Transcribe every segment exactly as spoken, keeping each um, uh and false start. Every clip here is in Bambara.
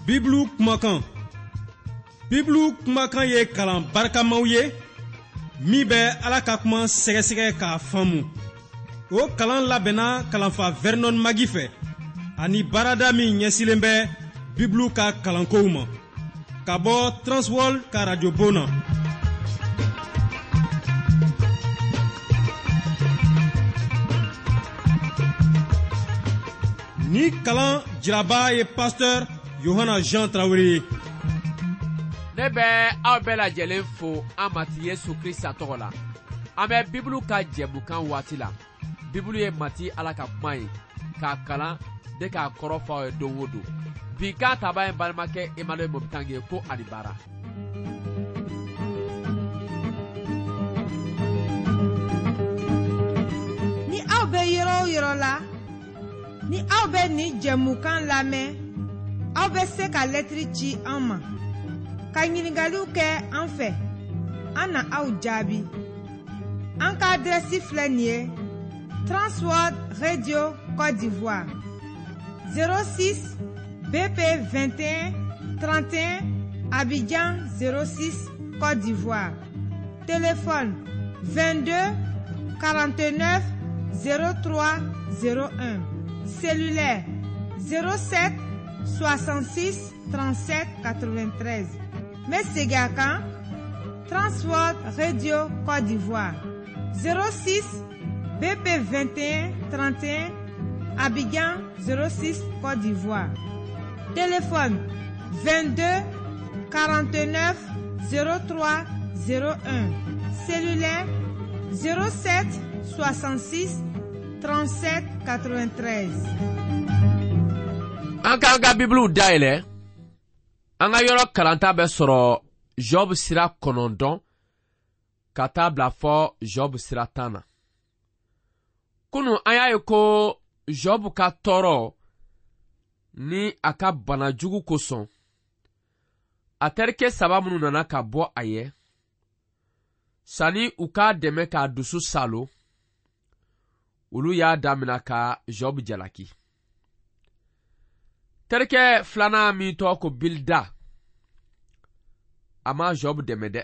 Bibulu kumakan. Bibulu kumakan ye kalan barikamaw ye min bɛ Ala ka kuma sɛgɛsɛgɛ k'a faamu. O kalan labɛnna kalanfa Vernon Magi fɛ ani baarada min ɲɛsilen bɛ Bibulu ka kalankow ma ka bɔ Transworld ka radio bon na. Ni kalan jiraba ye pasteur Yohana Jean Traoré ye. Ne bɛ aw bɛɛ lajɛlen fo an Matigi Yesu Krista tɔgɔ la. An bɛ Bibulu ka jɛmukan waati la. Bibulu ye Matigi Ala ka kuma ye k'a kalan de k'a kɔrɔ fɔ aw ye don o don. Bi kan taba ye balimakɛ Emmanuel Mobitange ye ko ani baara. Ni aw bɛ yɔrɔ o yɔrɔ la, ni aw bɛ nin jɛmukan lamɛn, aw bɛ se ka lɛtiri ci an ma, ka ɲininkaliw kɛ an fɛ, an na aw jaabi. An ka adrɛsi filɛ nin ye: Transworld Radio Côte d'Ivoire, zéro six B P vingt et un trente et un, Abidjan zéro six Côte d'Ivoire. Téléphone vingt-deux quarante-neuf zéro trois zéro un. Cellulaire zéro sept soixante-six trente-sept quatre-vingt-treize. N bɛ segin a kan: Transworld Radio Côte d'Ivoire, zéro six B P vingt et un trente et un, Abidjan zéro six Côte d'Ivoire. Téléphone vingt-deux quarante-neuf zéro trois zéro un. Cellulaire zéro sept soixante-six trente-sept quatre-vingt-treize. An k'an ka Bibuluw dayɛlɛ. An ka yɔrɔ kalanta bɛ sɔrɔ Job sira kɔnɔntɔn ka taa bila fɔ Job sira tan na. Kunu an y'a ye ko Job ka tɔɔrɔ ni a ka bana jugu kosɔn, a terikɛ saba minnu nana ka bɔ a ye, sanni u k'a dɛmɛ k'a dusu salo, olu y'a damina ka Job jalaki. Terikɛ filanan min tɔgɔ ko Bilda, a ma Job dɛmɛ dɛ.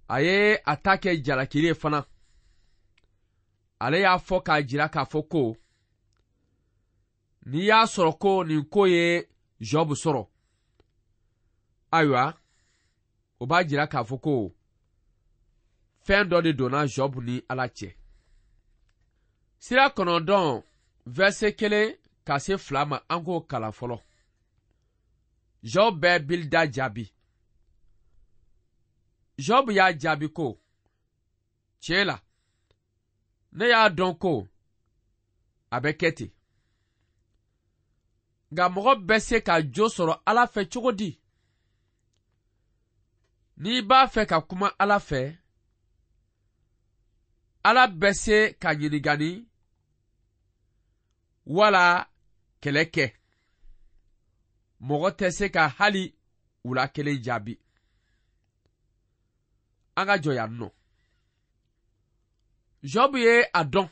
A ye a ta kɛ jalakili ye fana. Ale y'a fɔ k'a jira k'a fɔ ko n'i y'a sɔrɔ ko nin ko ye Job sɔrɔ, ayiwa, o b'a jira k'a fɔ ko fɛn dɔ de donna Job ni Ala cɛ. Sira kɔnɔntɔn verset kelen ka se fila ma, an k'o kalan fɔlɔ. Job bɛ Bilda jaabi. Job y'a jaabi ko, tiɲɛ la, ne y'a dɔn ko a bɛ kɛ ten. Nka mɔgɔ bɛ se ka jo sɔrɔ Ala fɛ cogo di? N'i b'a fɛ ka kuma Ala fɛ, Ala bɛ se ka ɲininkali wala kɛlɛ kɛ. Mɔgɔ tɛ se ka hali u la kelen jaabi. An ka jɔ yan nɔ. Job ye a dɔn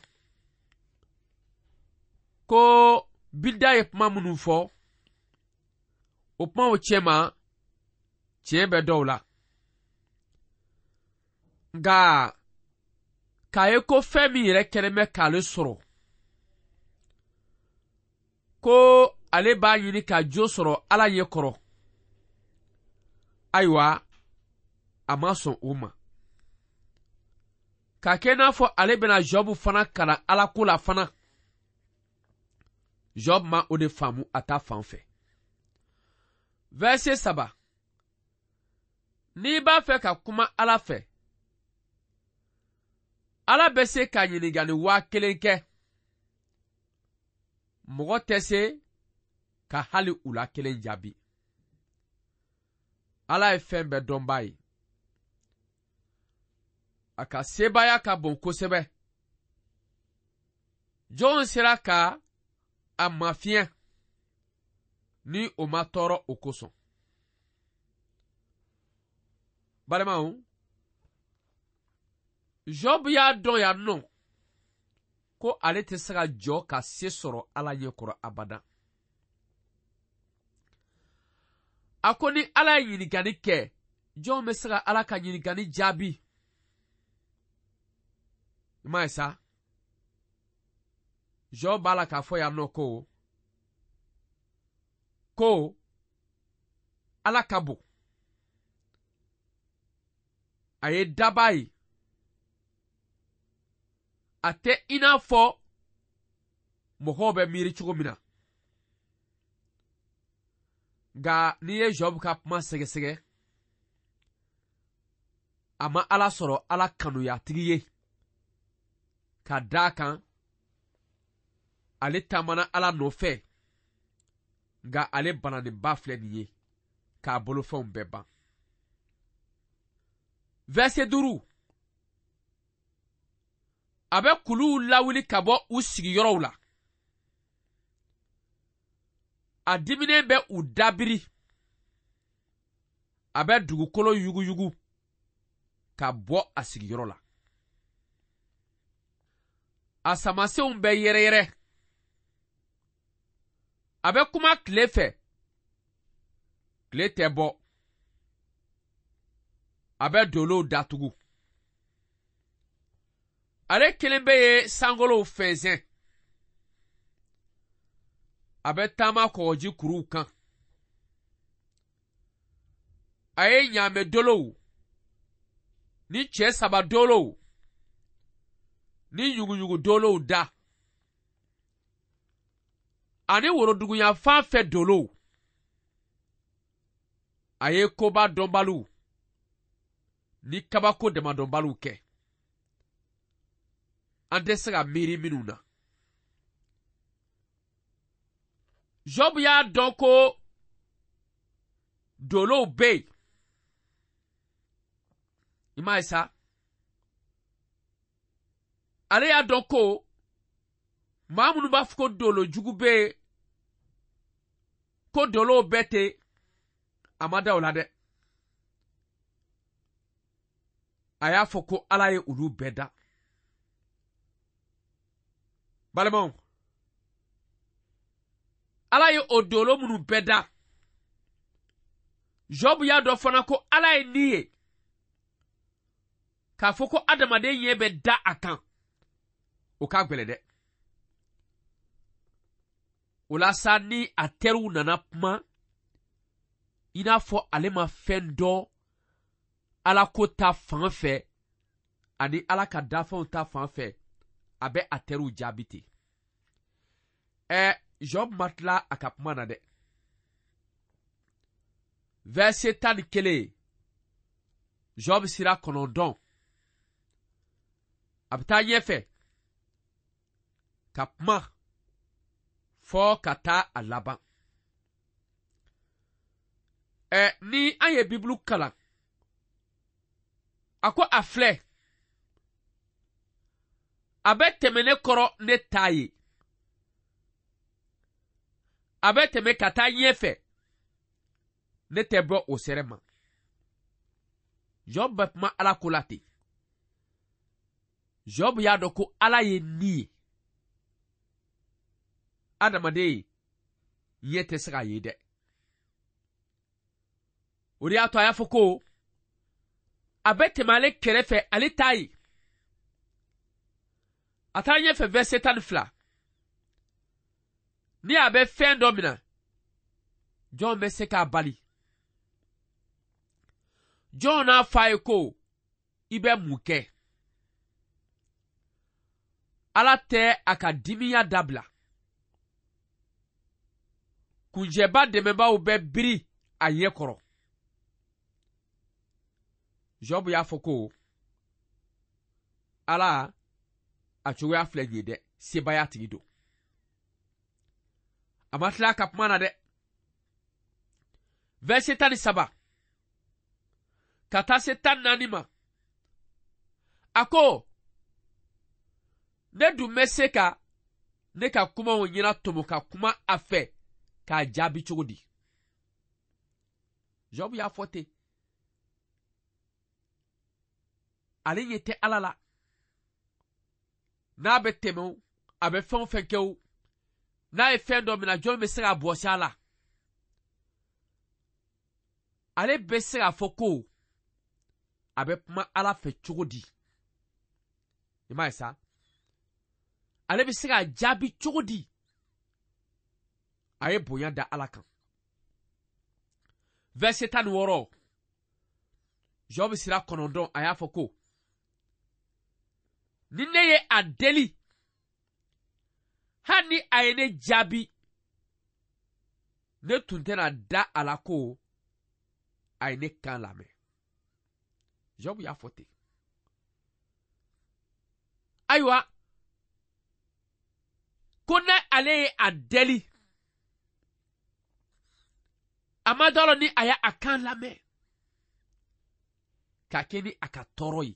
ko Bilda ye kuma minnu fɔ, o kumaw cɛma tiɲɛ bɛ dɔw la. Nka k'a ye ko fɛn min yɛrɛ kɛlen bɛ k'ale sɔrɔ, ko ale b'a ɲini ka jo sɔrɔ Ala ɲɛ kɔrɔ, ayiwa, a ma sɔn o ma. K'a kɛ n'a fɔ ale bɛna Job fana kalan Ala ko la fana, Job ma o de faamu a ta fan fɛ. Verset saba. N'i b'a fɛ ka kuma Ala fɛ, Ala bɛ se ka ɲininkali waa kelen kɛ. Mɔgɔ tɛ se ka hali u la kelen jaabi. Ala ye fɛn bɛɛ dɔnbaa ye. A ka sebaaya ka bon kosɛbɛ. Jɔn sera ka a mafiɲɛ ni o ma tɔɔrɔ o kosɔn? Balimaw, Job y'a dɔn yan nɔ ko ale tɛ se ka jɔ ka se sɔrɔ Ala ɲɛ kɔrɔ abada. A ko ni Ala ye ɲininkali kɛ, jɔn bɛ se ka Ala ka ɲininkali jaabi? I m'a ye sa? Job b'a la k'a fɔ yan nɔ ko ko Ala ka bon. A ye daba ye. A tɛ i n'a fɔ mɔgɔw bɛ miiri cogo min na. Nka n'i ye Job ka kuma sɛgɛsɛgɛ, a ma Ala sɔrɔ Ala kanuyatigi ye. Ka d'a kan, ale taamana Ala nɔfɛ, nka ale bananenba filɛ nin ye k'a bolofɛnw bɛɛ ban. Verset duuru. A bɛ kuluw lawuli ka bɔ u sigiyɔrɔw la. A diminen bɛ u dabiri. A bɛ dugukolo yuguyugu ka bɔ a sigiyɔrɔ la. A samasenw bɛ yɛrɛyɛrɛ. A bɛ kuma tile fɛ. Tile tɛ bɔ. A bɛ dolow datugu. Ale kelen bɛ ye sankolow fɛnsɛn. A bɛ taama kɔgɔji kuruw kan. A ye ɲaamɛ dolow ni cɛ saba dolow ni yuguyugu dolow da. Ani woroduguyanfan fɛ dolow. A ye koba dɔnbaliw ni kabako damadɔnbaliw kɛ. An tɛ se ka miiri minnu na. Job y'a dɔn ko dolow bɛ yen. I m'a ye sa? Ale y'a dɔn ko maa minnu b'a fɔ ko dolo jugu bɛ yen, ko dolow bɛɛ tɛ, a ma da o la dɛ. A y'a fɔ ko Ala ye olu bɛɛ da. Balimaw, Ala ye o dolo minnu bɛɛ da, Job y'a dɔn fana ko Ala ye ni ye. K'a fɔ ko adamaden ɲɛ bɛ da a kan, o ka gɛlɛn dɛ. O la sa, ni a teriw nana kuma, i n'a fɔ ale ma fɛn dɔn Ala ko ta fan fɛ ani Ala ka dafɛnw ta fan fɛ, a bɛ a teriw jaabi ten. Ɛ, Job ma tila a ka kuma na dɛ. Verset tan ni kelen, Job sira kɔnɔntɔn. A bɛ taa ɲɛfɛ ka kuma fɔ ka taa a laban. Ɛ, ni an ye Bibulu kalan, a ko a filɛ, a bɛ tɛmɛ ne kɔrɔ ne t'a ye. A bɛ tɛmɛ ka taa ɲɛfɛ, ne tɛ bɔ o sɛrɛ ma. Job bɛ kuma Ala ko la ten. Job y'a dɔn ko Ala ye ni ye. Adamaden ɲɛ tɛ se k'a ye dɛ. O de y'a to a y'a fɔ ko a bɛ tɛmɛ ale kɛrɛfɛ, ale t'a ye. A taara ɲɛfɛ verset tan ni fila. Ni a bɛ fɛn dɔ minɛ, jɔn bɛ se k'a bali? Jɔn n'a fɔ a ye ko i bɛ mun kɛ? Ala tɛ a ka dimiya dabila. Kunjɛba dɛmɛbaaw bɛ biri a ɲɛ kɔrɔ. Job y'a fɔ ko Ala a cogoya filɛ nin ye dɛ, sebaaya tigi don. A ma tila a ka kuma na dɛ. Verset tan ni saba ka taa se tan naani ma, a ko ne dun bɛ se ka ne ka kumaw ɲɛna tɔmɔ ka kuma a fɛ k'a jaabi cogo di? Job y'a fɔ ten. Ale ɲɛ tɛ Ala la. N'a bɛ tɛmɛ o, a bɛ fɛn o fɛn kɛ o, n'a ye fɛn dɔ minɛ, jɔn bɛ se k'a bɔsi a la? Ale bɛ se k'a fɔ ko a bɛ kuma Ala fɛ cogo di? I m'a ye sa? Ale bɛ se k'a jaabi cogo di? A ye bonya da Ala kan. Verset tan ni wɔɔrɔ, Job sira kɔnɔntɔn, a y'a fɔ ko ni ne ye a deli, hali ni a ye ne jaabi, ne tun tɛna da a la ko a ye ne kan lamɛn. Job y'a fɔ ten. Ayiwa, ko ne ale ye a deli, a ma dɔn ni a y'a kan lamɛn, k'a kɛ ni a ka tɔɔrɔ ye.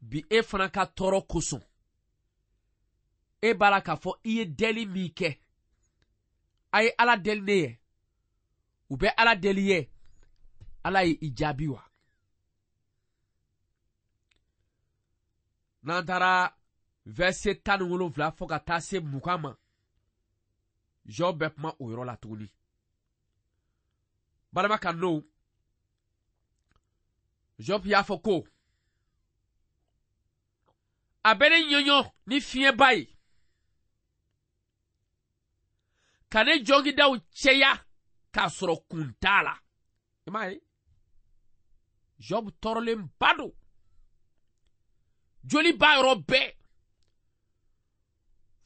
Bi e fana ka tɔɔrɔ kosɔn, e b'a la k'a fɔ i ye deli min kɛ, a ye Ala deli ne ye, u bɛ Ala deli ye, Ala ye i jaabi wa? N'an taara verset tan ni wolonwula fo ka taa se mugan ma, Job bɛ kuma o yɔrɔ la tuguni. Balima kandenw, Job y'a fɔ ko a bɛ ne ɲɔɲɔ ni fiɲɛba ye, ka ne jɔngidaw cɛya k'a sɔrɔ kun t'a la. I m'a ye? Job tɔɔrɔlenba don, joli b'a yɔrɔ bɛɛ,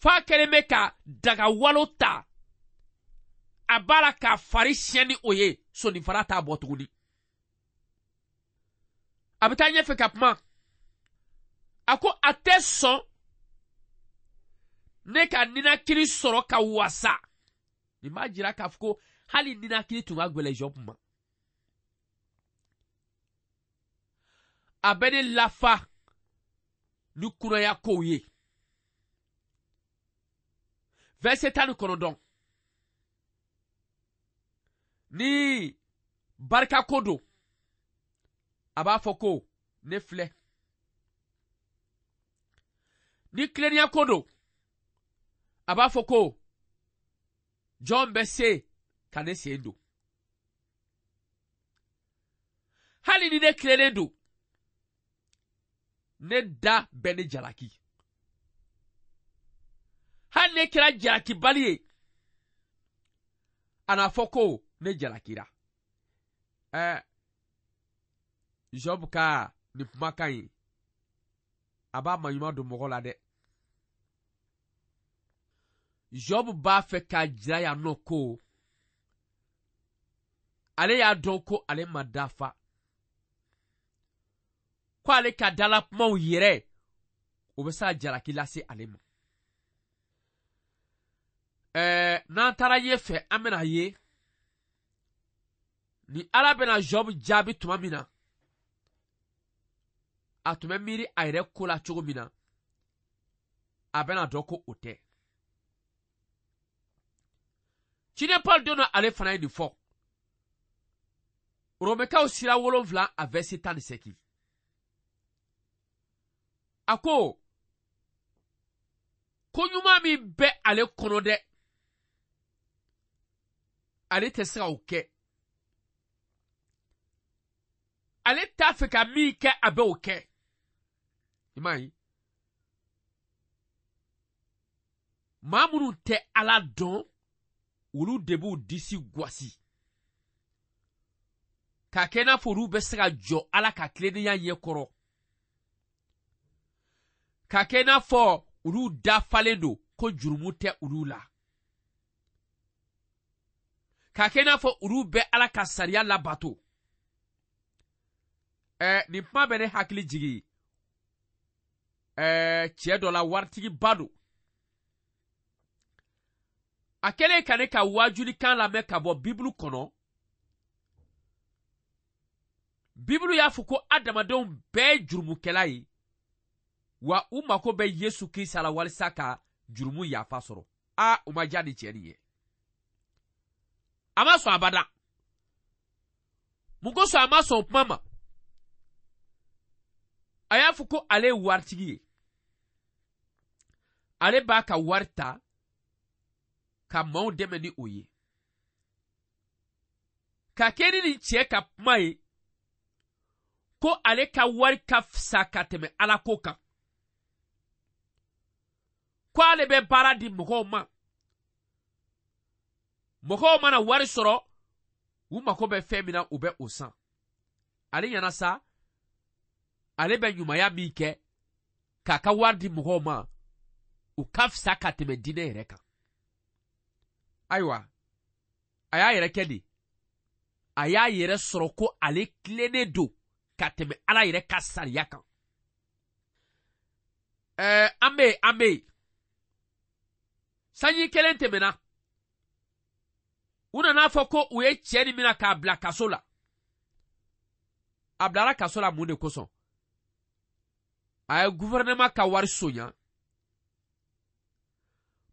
f'a kɛlen bɛ ka dagawalo ta, a b'a la k'a fari siɲɛ ni o ye, sonifara t'a bɔ tuguni. A bɛ taa ɲɛfɛ ka kuma, a ko a tɛ sɔn ne ka ninakili sɔrɔ ka wasa. Nin b'a jira k'a fɔ ko hali ninakili tun ka gɛlɛn Job ma. A bɛ ne lafa ni kunaya kow ye. Verset tan ni kɔnɔntɔn, ni barika ko don, a b'a fɔ ko ne filɛ. Ni tilennenya ko don, a b'a fɔ ko jɔn bɛ se ka ne sen don? Hali ni ne tilennen don, ne da bɛ ne jalaki. Hali ne kɛra jalakibali ye, a n'a fɔ ko ne jalakira. Ɛɛ, Job ka nin kumakan in, a b'a maɲuman don mɔgɔ la dɛ. Job b'a fɛ k'a jira yan nɔ ko ale y'a dɔn ko ale ma dafa, ko ale ka dalakumaw yɛrɛ o bɛ se ka jalaki lase ale ma. Ɛɛ, n'an taara ɲɛfɛ, an bɛna ye ni Ala bɛna Job jaabi tuma min na, a tun bɛ miiri a yɛrɛ ko la cogo min na, a bɛna dɔn ko o tɛ. Ciden Paul don dɔ ale fana ye nin fɔ. Romɛkaw sira wolonwula a verset tan ni seegin. A ko ko ɲuman min bɛ ale kɔnɔ dɛ, ale tɛ se ka o kɛ. Ale t'a fɛ ka min kɛ, a bɛ o kɛ. I m'a ye? Maa minnu tɛ Ala dɔn, olu de b'u disi gosi k'a kɛ i n'a fɔ olu bɛ se ka jɔ Ala ka tilennenya ɲɛkɔrɔ, k'a kɛ i n'a fɔ olu dafalen don ko jurumu tɛ olu la, k'a kɛ i n'a fɔ olu bɛ Ala ka sariya labato. Ɛɛ, nin kuma bɛ ne hakili jigin ɛɛ cɛ dɔ la, waritigiba don. A kɛlen ka ne ka waajulikan lamɛn ka bɔ Bibulu kɔnɔ, Bibulu y'a fɔ ko adamadenw bɛɛ ye jurumukɛla ye, wa u mako bɛ Yesu Kirisa la walisa ka jurumu yafa sɔrɔ. Aa, o ma diya ni cɛ nin ye. A ma sɔn abada. Mun kosɔn a ma sɔn o kuma ma? A y'a fɔ ko ale ye waritigi ye. Ale b'a ka wari ta ka maaw dɛmɛ ni o ye. Ka kɛ ni nin cɛ ka kuma ye ko ale ka wari ka fisa ka tɛmɛ Ala ko kan, ko ale bɛ baara di mɔgɔw ma, mɔgɔw mana wari sɔrɔ u mako bɛ fɛn min na u bɛ o san. Ale ɲɛna sa ale bɛ ɲumanya min kɛ k'a ka wari di mɔgɔw ma, u ka fisa ka tɛmɛ diinɛ yɛrɛ kan. Ayiwa, a y'a yɛrɛ kɛ di, a y'a yɛrɛ sɔrɔ ko ale tilennen don ka tɛmɛ Ala yɛrɛ ka sariya kan. Ɛɛ an bɛ yen, an bɛ yen. Sanji kelen tɛmɛna, u nana fɔ ko u ye cɛ nin minɛ k'a bila kaso la. A bilara kaso la mun de kosɔn? A ye gouvernement ka wari sonya.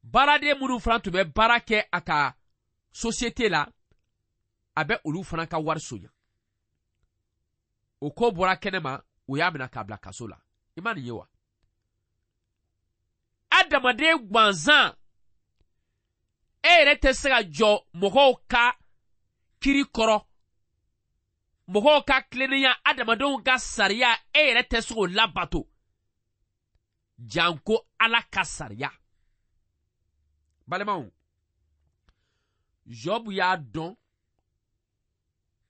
Baaraden minnu fana tun bɛ baara kɛ a ka société la, a bɛ olu fana ka wari sonya. O ko bɔra kɛnɛma, u y'a minɛ k'a bila kaso la. I ma nin ye wa? Adamaden gansan, e yɛrɛ tɛ se ka jɔ mɔgɔw ka kiri kɔrɔ, mɔgɔw ka tilennenya, adamadenw ka sariya, e yɛrɛ tɛ se k'o labato, janko Ala ka sariya. Balimaw, Job y'a dɔn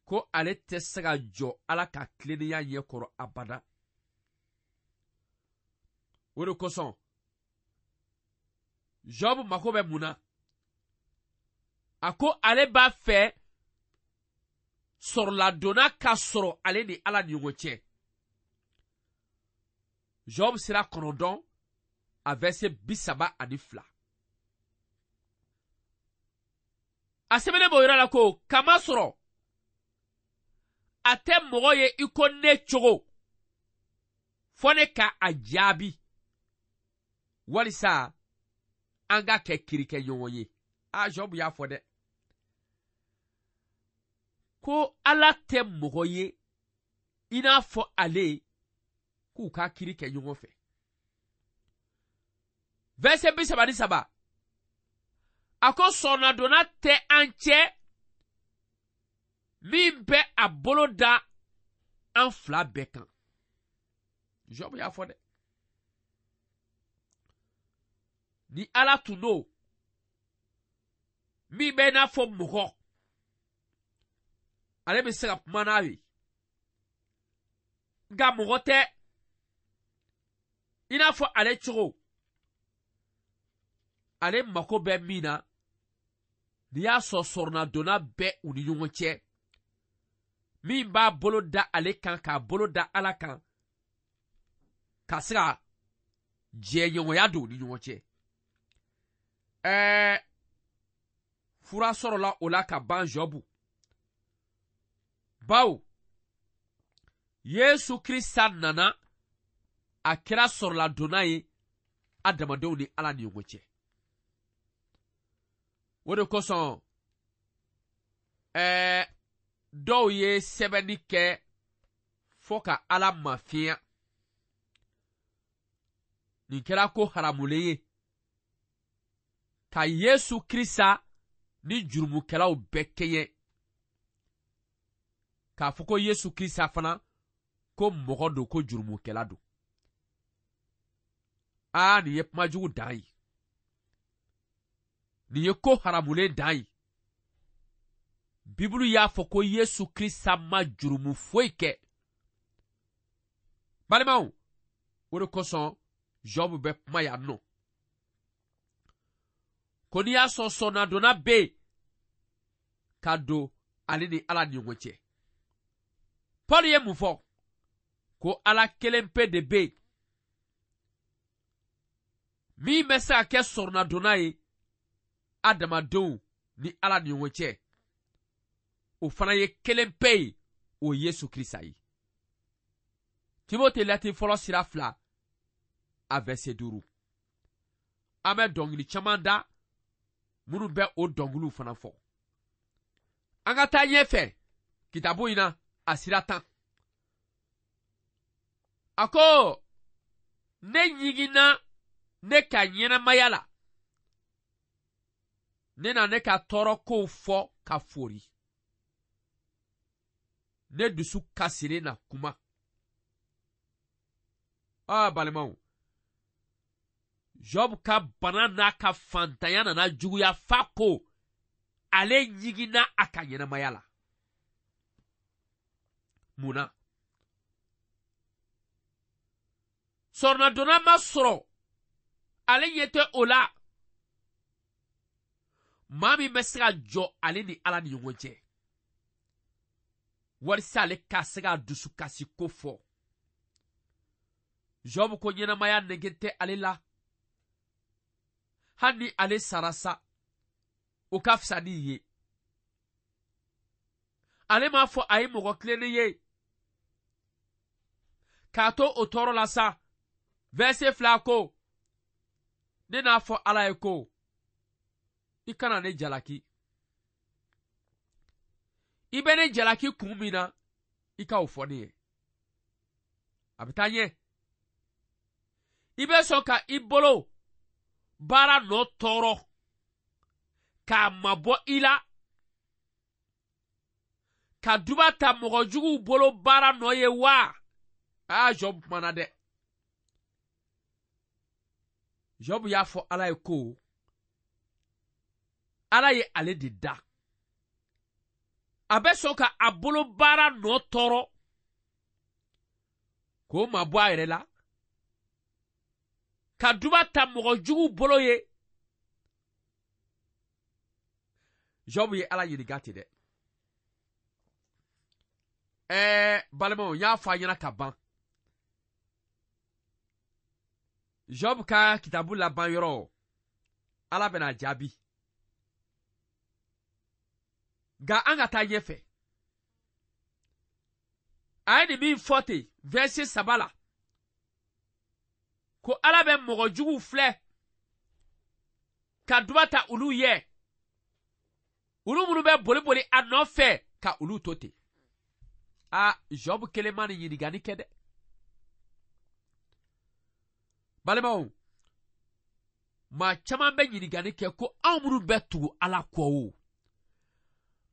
ko ale tɛ se ka jɔ Ala ka tilennenya ɲɛkɔrɔ abada. O de kosɔn Job mako bɛ mun na? A ko ale b'a fɛ sɔrɔladonna ka sɔrɔ ale ni Ala ni ɲɔgɔn cɛ. Job sira kɔnɔntɔn a verset bi saba ani fila. A sɛbɛnnen b'o yɔrɔ la ko kama sɔrɔ a tɛ mɔgɔ ye i ko ne cogo, fɔ ne ka a jaabi walisa an ka kɛ kirikɛ ɲɔgɔn ye. A Job y'a fɔ dɛ ko Ala tɛ mɔgɔ ye i n'a fɔ ale k'u ka kiri kɛ ɲɔgɔn fɛ. Verset bi saba ni saba, a ko sɔnnadonna tɛ an cɛ min bɛ a bolo da an fila bɛɛ kan. Job y'a fɔ dɛ. Ni Ala tun don min bɛ i n'a fɔ mɔgɔ, ale bɛ se ka kuma n'a ye, nka mɔgɔ tɛ i n'a fɔ ale cogo. Ale mako bɛ min na, n'i y'a sɔrɔ sɔrɔnadonna bɛ u ni ɲɔgɔn cɛ, min b'a bolo da ale kan k'a bolo da Ala kan, ka se ka jɛɲɔgɔnya don u ni ɲɔgɔn cɛ. Ɛɛ fura sɔrɔla o la ka ban Job. Bawo Yesu Krista nana, a kɛra sɔrɔladonna ye adamadenw ni Ala ni ɲɔgɔn cɛ. O de kosɔn ɛɛ dɔw ye sɛbɛnni kɛ fɔ ka Ala mafiɲɛ. Nin kɛra ko haramulen ye ka Yesu Krista ni jurumukɛlaw bɛɛ kɛɲɛ, k'a fɔ ko Yesu Krista fana ko mɔgɔ don, ko jurumukɛla don. Aa, nin ye kuma jugu dan ye, nin ye ko haramulen dan ye. Bibulu y'a fɔ ko Yesu Krista ma jurumu foyi kɛ. Balimaw, o de kosɔn Job bɛ kuma yan nɔ ko n'i y'a sɔrɔ sɔnnadonna bɛ yen ka don ale ni Ala ni ɲɔgɔn cɛ. Paul ye mun fɔ? Ko Ala kelen pe de bɛ yen min bɛ se ka kɛ sɔrɔnadonna ye adamadenw ni Ala ni ɲɔgɔn cɛ. O fana ye kelen pe ye, o ye Yesu Krista ye. Timote lɛtiri fɔlɔ sira fila a verset duuru. An bɛ dɔnkili caman da minnu bɛ o dɔnkiliw fana fɔ. An ka taa ɲɛfɛ kitabu in na a sira tan. A ko ne ɲiginna ne ka ɲɛnamaya la, ne na ne ka tɔɔrɔ kow fɔ ka fori. Ne dusu kasilen na kuma. Aa balimaw, Job ka bana n'a ka fantanya nana juguya fa ko ale ɲiginna a ka ɲɛnamaya la. Mun na? Sɔrɔnadonna ma sɔrɔ, ale ɲɛ tɛ o la. Maa min bɛ se ka jɔ ale ni Ala ni ɲɔgɔn cɛ, walisa ale ka se ka dusukasi ko fɔ. Job ko ɲɛnamaya nege tɛ ale la. Hali ni ale sara sa, o ka fisa ni ye. Ale m'a fɔ a ye mɔgɔ tilennen ye. K'a to o tɔɔrɔ la sa, verset fila ko, ne n'a fɔ Ala ye ko, i kana ne jalaki. I bɛ ne jalaki kun min na, i ka o fɔ ne ye. A bɛ taa ɲɛ. I bɛ sɔn ka i bolo baara nɔ tɔɔrɔ k'a mabɔ i la, ka duba ta mɔgɔ juguw bolo baara nɔ ye wa? Aa, Job kumana dɛ. Job y'a fɔ Ala ye ko Ala ye ale de da. A bɛ sɔn ka a bolo baara nɔ tɔɔrɔ k'o mabɔ a yɛrɛ la, ka duba ta mɔgɔ juguw bolo ye. Job ye Ala ɲininka ten dɛ. Ɛɛ balimaw, n y'a fɔ a ɲɛna ka ban. Job ka kitabu laban yɔrɔ, Ala bɛna jaabi. Nka an ka taa ɲɛfɛ. A ye nin min fɔ ten verset saba la, ko Ala bɛ mɔgɔ juguw filɛ ka duba ta olu ye, olu minnu bɛ boli boli a nɔfɛ ka olu to ten. Aa, Job kelen ma nin ɲininkali kɛ dɛ. Balimaw, maa caman bɛ ɲininkali kɛ ko anw minnu bɛ tugu Ala kɔ o,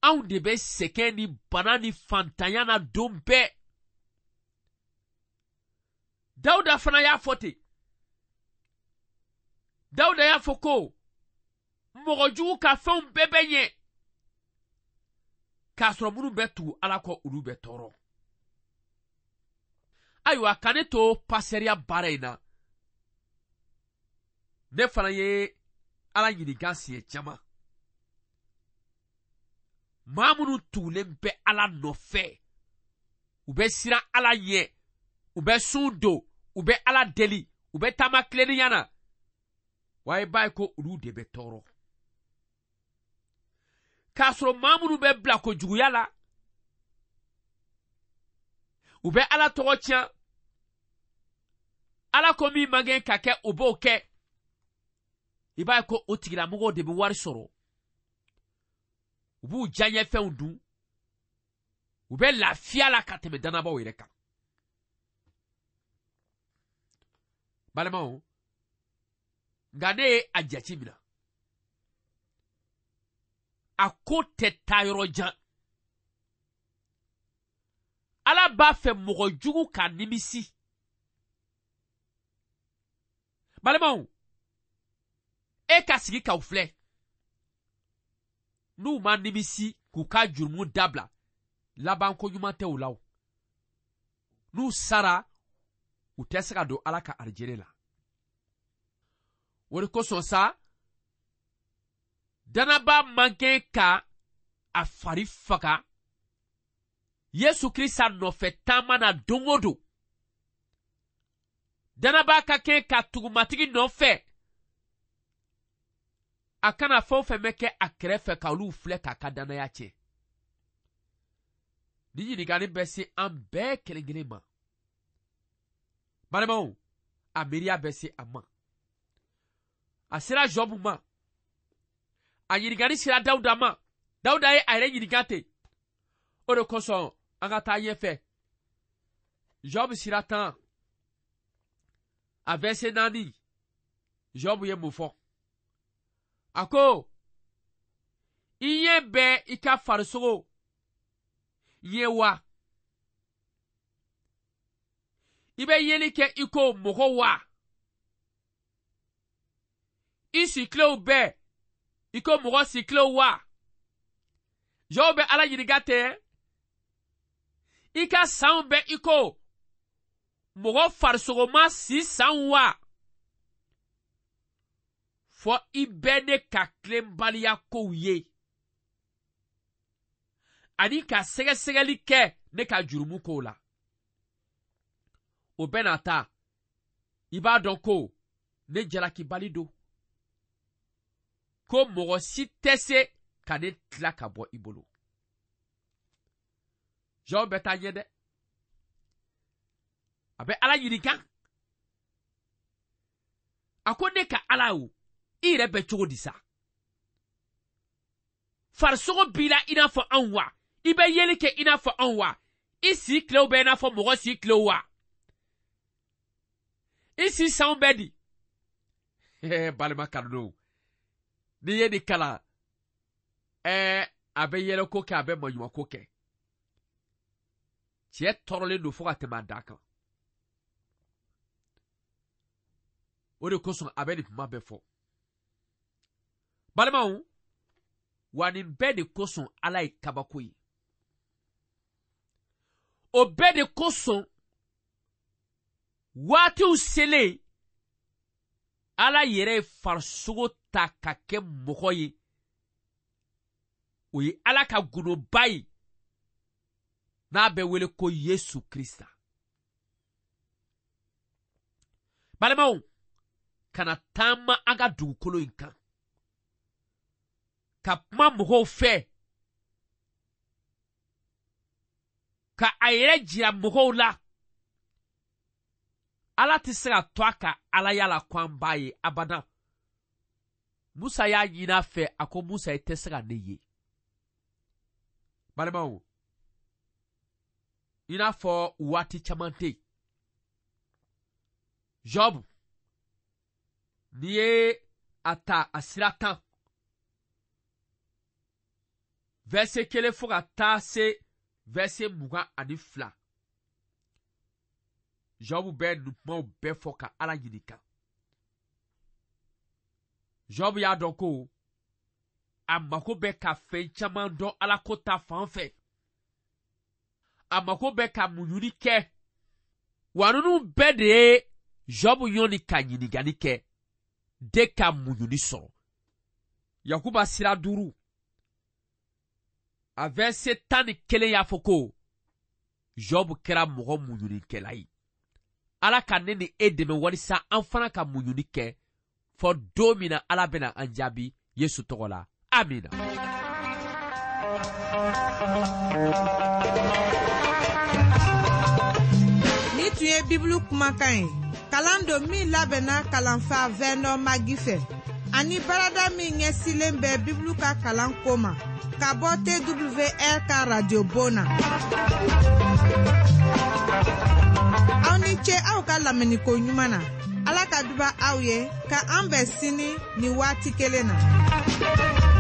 anw de bɛ sɛgɛn ni bana ni fantanya na don bɛɛ. Dawuda fana y'a fɔ ten. Dawuda y'a fɔ ko mɔgɔ jugu ka fɛnw bɛɛ bɛ ɲɛ, k'a sɔrɔ minnu bɛ tugu Ala kɔ olu bɛ tɔɔrɔ. Ayiwa, ka ne to pasɛriya baara in na, ne fana ye Ala ɲininka siɲɛ caman. Maa minnu tugulen bɛ Ala nɔfɛ, u bɛ siran Ala ɲɛ, u bɛ sun don, u bɛ Ala deli, u bɛ taama tilennenya na, wa i b'a ye ko olu de bɛ tɔɔrɔ. K'a sɔrɔ maa minnu bɛ bila kojuguya la, u bɛ Ala tɔgɔ tiɲɛ, Ala ko min man kɛ ka kɛ, u b'o kɛ. I b'a ye ko o tigilamɔgɔw de bɛ wari sɔrɔ, u b'u diyaɲɛfɛnw dun, u bɛ lafiya la ka tɛmɛ dannabaw yɛrɛ kan. Balimaw, nka ne ye a jate minɛ, a ko tɛ taa yɔrɔ jan. Ala b'a fɛ mɔgɔ jugu ka nimisi. Balimaw, e ka sigi k'aw filɛ, n'u ma nimisi k'u ka jurumu dabila, labanko ɲuman tɛ u la o. N'u sara, u tɛ se ka don Ala ka arijinɛ la. O de kosɔn sa, danaba man kɛ ka a fari faga Yesu Kirisa nɔfɛ taama na don o don. Danaba ka kɛ ka tugu Matigi nɔfɛ. A kana fɛn o fɛn bɛ kɛ a kɛrɛfɛ ka olu filɛ k'a ka danaya tiɲɛ. Ni ɲininkali bɛ se an bɛɛ kelen kelen ma. Balimaw, a miiriya bɛ se a ma. A sera Job ma. A ɲininkali sera Dawuda ma. Dawuda ye a yɛrɛ ɲininka ten. O de kosɔn an ka taa ɲɛfɛ. Job sira tan, a verset naani, Job ye mun fɔ? A ko, i ɲɛ bɛ i ka farisogo ye wa? I bɛ yeli kɛ i ko mɔgɔ wa? I sikilew bɛɛ i ko mɔgɔ sikilew wa? Job bɛ Ala ɲininka tɛ. I ka sanw bɛ i ko mɔgɔ farisogoma si sanw wa? Fɔ i bɛ ne ka tilenbaliya kow ye ani ka sɛgɛsɛgɛli kɛ ne ka jurumu kow la. O bɛɛ n'a ta, i b'a dɔn ko ne jalakibali don, ko mɔgɔ si tɛ se ka ne tila ka bɔ i bolo. Job bɛ taa ɲɛ dɛ. A bɛ Ala ɲininka. A ko ne ka Ala o, i yɛrɛ bɛ cogo di sa? Farisogo b'i la i n'a fɔ anw wa? I bɛ yeli kɛ i n'a fɔ anw wa? I si tilew bɛ i n'a fɔ mɔgɔ si tilew wa? I si sanw bɛ di? Balima kanudenw, n'i ye nin kalan, ɛɛ a bɛ yɛlɛko kɛ, a bɛ maɲumako kɛ. Cɛ tɔɔrɔlen don fo ka tɛmɛ a dan kan. O de kosɔn a bɛ nin kuma bɛɛ fɔ. Balimaw, wa nin bɛɛ de kosɔn Ala ye kabako ye. O bɛɛ de kosɔn waatiw selen, Ala yɛrɛ ye farisogo ta ka kɛ mɔgɔ ye. O ye Ala ka gundoba ye n'a bɛ wele ko Yesu Krista. Balimaw, kana taama an ka dugukolo in kan ka kuma mɔgɔw fɛ, ka a yɛrɛ jira mɔgɔw la. Ala tɛ se ka to a ka Alaya la ko an b'a ye abada. Musa y'a ɲini a fɛ, a ko Musa, i tɛ se ka ne ye. Balimaw, i n'a fɔ waati caman tɛ yen. Job, n'i ye a ta a sira tan, verset kelen fo ka taa se verset mugan ani fila, Job bɛ nin kumaw bɛɛ fɔ ka Ala ɲininka. Job y'a dɔn ko a mako bɛ ka fɛn caman dɔn Ala ko ta fan fɛ. A mako bɛ ka muɲuli kɛ. Wa ninnu bɛɛ de ye Job ɲɔni ka ɲininkali kɛ de ka muɲuli sɔrɔ. Yakuba sira duuru, a verset tan ni kelen y'a fɔ ko Job kɛra mɔgɔ muɲulikɛla ye. Ala ka ne ni e dɛmɛ walisa an fana ka muɲuli kɛ fɔ don min na Ala bɛna an jaabi Yesu tɔgɔ la. Amina. Ni tun ye Bibulu kumakan ye, kalan don min labɛnna kalanfa Vernon Magi fɛ, ani barada min ɲɛsilen bɛ Bibulu ka kalan ko ma, ka bɔ T W R ka radio bon na. Aw ni ce aw ka lamɛnniko ɲuman na. Ala ka duba aw ye, ka an bɛn sini ni waati kelen na.